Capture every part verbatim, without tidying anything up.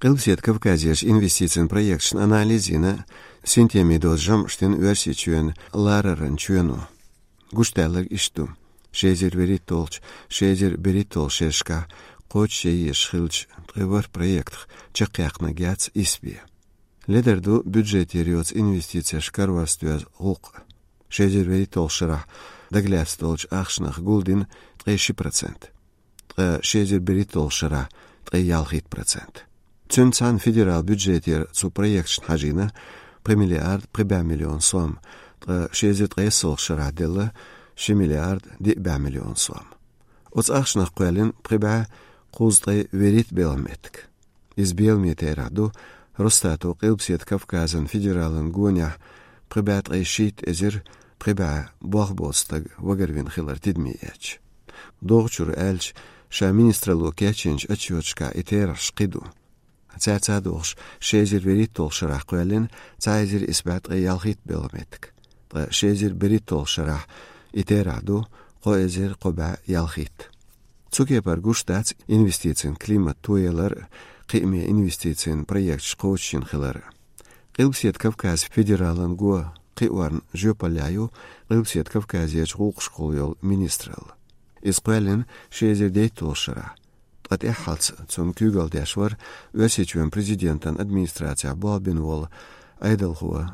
Къилбаседа Кавказерчу инвестицийн проекташна анализ йина, синтеме доцу жамӀаш дина Оьрсийчоьнан лараран чоьно. Гуш даьлларг иштта ду: ши эзар вуьрхӀитталгӀачу, ши эзар берхӀитталгӀачу шерашкахь кхочушъеш хилча, ткъе ворхӀ проектах чекхъяьккхинарг яц исс бен. Ледара ду бюджетера йоцу инвестицеш карор доьзна гӀуллакх. Ши эзар вуьрхӀитталгӀачу шарахь дагалаьцна долчу ахчанах гулдина ткъе ши процент, ткъа ши эзар берхӀитталгӀачу шарахь ткъе ялхитта процент. Цуьнца цхьаьна федералан бюджетера цу проекташна хьажийна пхи миллиард пхи бӀе миллион сом, ткъа ши эзар ткъайоьсналгӀачу шарахь делла ши миллиард диъ бӀе миллион сом. Оцу ахчанах кхоьллина пхи бӀе кхузткъе вуьрхӀитта белхан меттиг. Иза беламе терахь ду Росстато Къилбаседа Кавказан федералан гонехь пхи бӀе ткъе шийтта эзар пхи бӀе болх боцу стаг вагарвина хилар тидаме эцча. ДогӀучуьра аьлча, ша министралло кечйинчу отчёташкахь и терахьаш кхин ду. Цаьрца а догӀуш, ши эзар вуьрхӀитталгӀачу шарахь кхоьллина цхьа эзар исс бӀе ткъе ялхитта белхан меттиг, ткъа ши эзар берхӀитталгӀачу шарахь и терахь ду кхо эзар кхо бӀе ялхитта. Цу кепара гуш дац инвестицийн климат тоялар а, кхиаме инвестицийн проекташ кхочушйина хилар а. Къилбаседа Кавказан федералан го кхиорна жоьпаллехь ю Къилбаседа Кавказерчу гӀуллакхашкахула йолу министралла. Иза кхоьллина ши эзар дейтталгӀачу шарахь, ткъа тӀаьххьалц цунна куьйгалла деш вара Оьрсийчоьнан президентан администрацехь болх бина волу Ӏедалхо,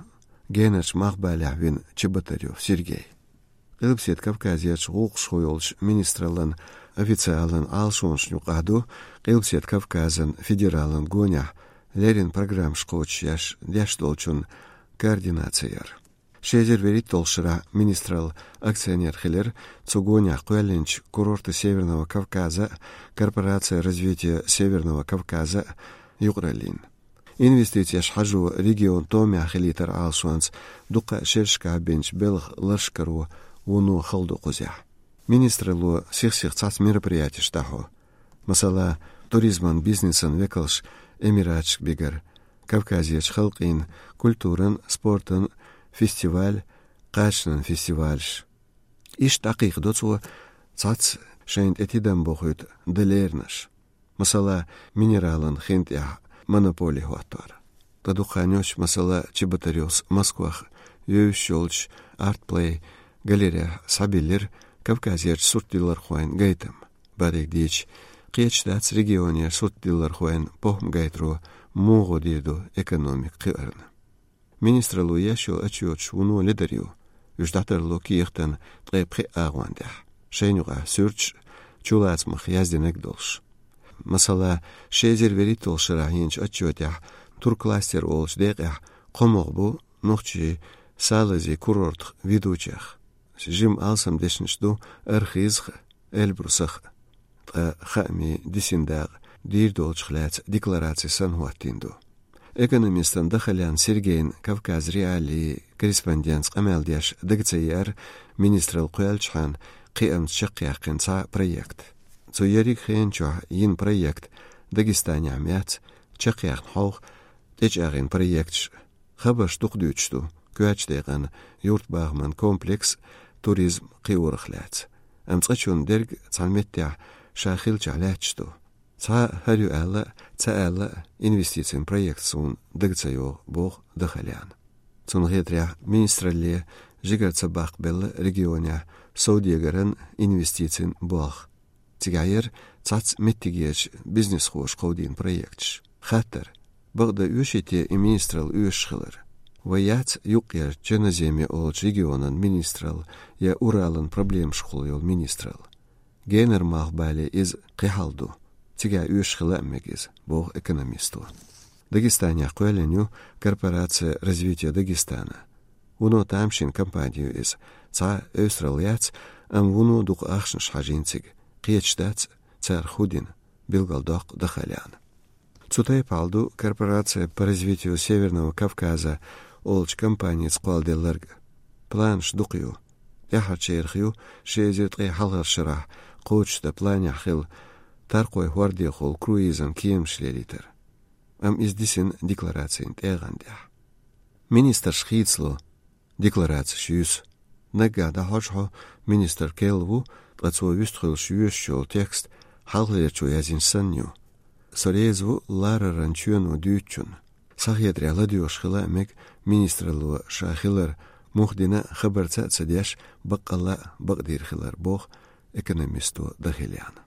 Генарчу Малхбалехь вина Чеботарев Сергей. Къилбаседа Кавказерчу гӀуллакхашкахула йолчу министраллан официалан Ӏалашонашна юкъахь ду Къилбаседа Кавказан федералан гонехь леррина программаш кхочушъеш деш долчун координаци яр. Ши эзар вуьрхӀитталгӀачу шарахь министралла акционер хилира цу гонехь кхоьллинчу «Курорты Северного Кавказа» а, «Корпорация развития Северного Кавказа» а юкъараллин. Инвестицеш хьажо регион томехь хилийтаран Ӏалашонца дуккха а шерашкахь бинчу белхан ларш каро вуно хала ду кхузахь. Министралло сих-сиха цхьацца мероприятеш дӀахьо. Масала, туризман бизнесан векалш Эмираташка бигар, Кавказерчу халкъийн культуран, спортан фестиваль, кхачанан фестивалш. Иштта дӀакхайкхадо цо цхьацца шайна тӀе тидам бохуьйту дан леринарш. Масала, минералан хин тӀехь монополи хӀоттор. Ткъа дукха хан йоццуш, масала, Чеботаревс Москвахь йовзуш йолчу Art Play галерейхь схьабиллира Кавказерчу суртдиллархойн гайтам. Бадига дийча, кхеташ дац регионера суртдиллархойн похӀма гайтаро муха дийр ду экономика кхиарна. Министралло еш йолу отчёташ вуно ледара ю. Уьш дӀатарло кехатан ткъе пхи агӀон тӀехь, шайна юкъахь суьрташ а, чулацамах яздинарг а долуш. Масала, ши эзар вуьрхӀитталгӀачу шарахь йинчу отчётехь туркластер олучу декъехь кхо могӀа бу нохчийн салазийн курортах ведучех. Жима алсамдешнаш ду Архызах а, Эльбрусах а. Ткъа хаамийн дисина дакъа дийр долчух лаьцна деклараци санна хӀоттийна ду. Экономистан Дахалян Сергейн Кавказ.Реалии корреспондентца къамел деш дага ца еара министралла кхоьллинчхьана кхиамца чекхъяьккхина цхьа проект. Цу ерриг хенан чохь йина проект Дагестанехь ма яц, чекхъяьхна хьовха тӀечӀагӀйина проекташ а. Хабарш дукха дуьйцуш ду коьртачу декъана юртбахаман комплекс, туризм кхиорах лаьцна. Амма цкъачунна дерг цхьана меттехь ша хиллачохь лаьтташ ду. Цхьа а хӀара ю аьлла а, ца аьлла а, инвестицийн проект суна дага ца йогӀу, боху Дахаляна. Цунна хетарехь, министралле жигара ца баккхабелла регионехь совдегаран, инвестицийн болх. Цигахь яра цхьацца меттигерчу бизнесхоша кховдийна проекташ. Хаттар: бакъда оьший те и министралла оьшуш хилар? Вайн яц юккъерчу Черноземье олучу регионан министралла я Уралан проблемашкахула йолу министралла? Генара Малхбале иза кхин хьалха ду. Цигахь оьшуш хила а мега иза, боху экономисто. Дагестанехь кхоьллина ю «Корпорация развития Дагестана». Вуно тамашийна компани ю иза. Цхьа а эвсаралла яц, амма вуно дукха ахчанаш хьажийна цига. Кхеташ дац, царах хӀун дина, билгалдоккху Дахаляна. Цу тайпа хьал ду «Корпорация по развитию Северного Кавказа» олучу компаница кхолладелларг а. Планаш дукха ю. ТӀаьхьарчарах ю ши эзар ткъе хьалхарчу шарахь кхочушдан планехь хилла таркхойн хӀордехула круизан кеманаш лелийтар. Амма иза дисина декларацин тӀегӀан тӀехь. Министрш хийцало декларацеш юьсу. Наггахь дӀахьожу хьо, министр керла ву, ткъа цо вистхуьлуш йоьшуш йолу текст хьалхалерчо яздинчу санна ю. Со реза ву лараран чоьно дуьйцучунна. Схьахетарехь ладоьгӀуш хила а мега, министралло ша хилар муха дина хабарца а ца деш, баккъалла а бакъдийр хилар, боху экономисто Дахеляна.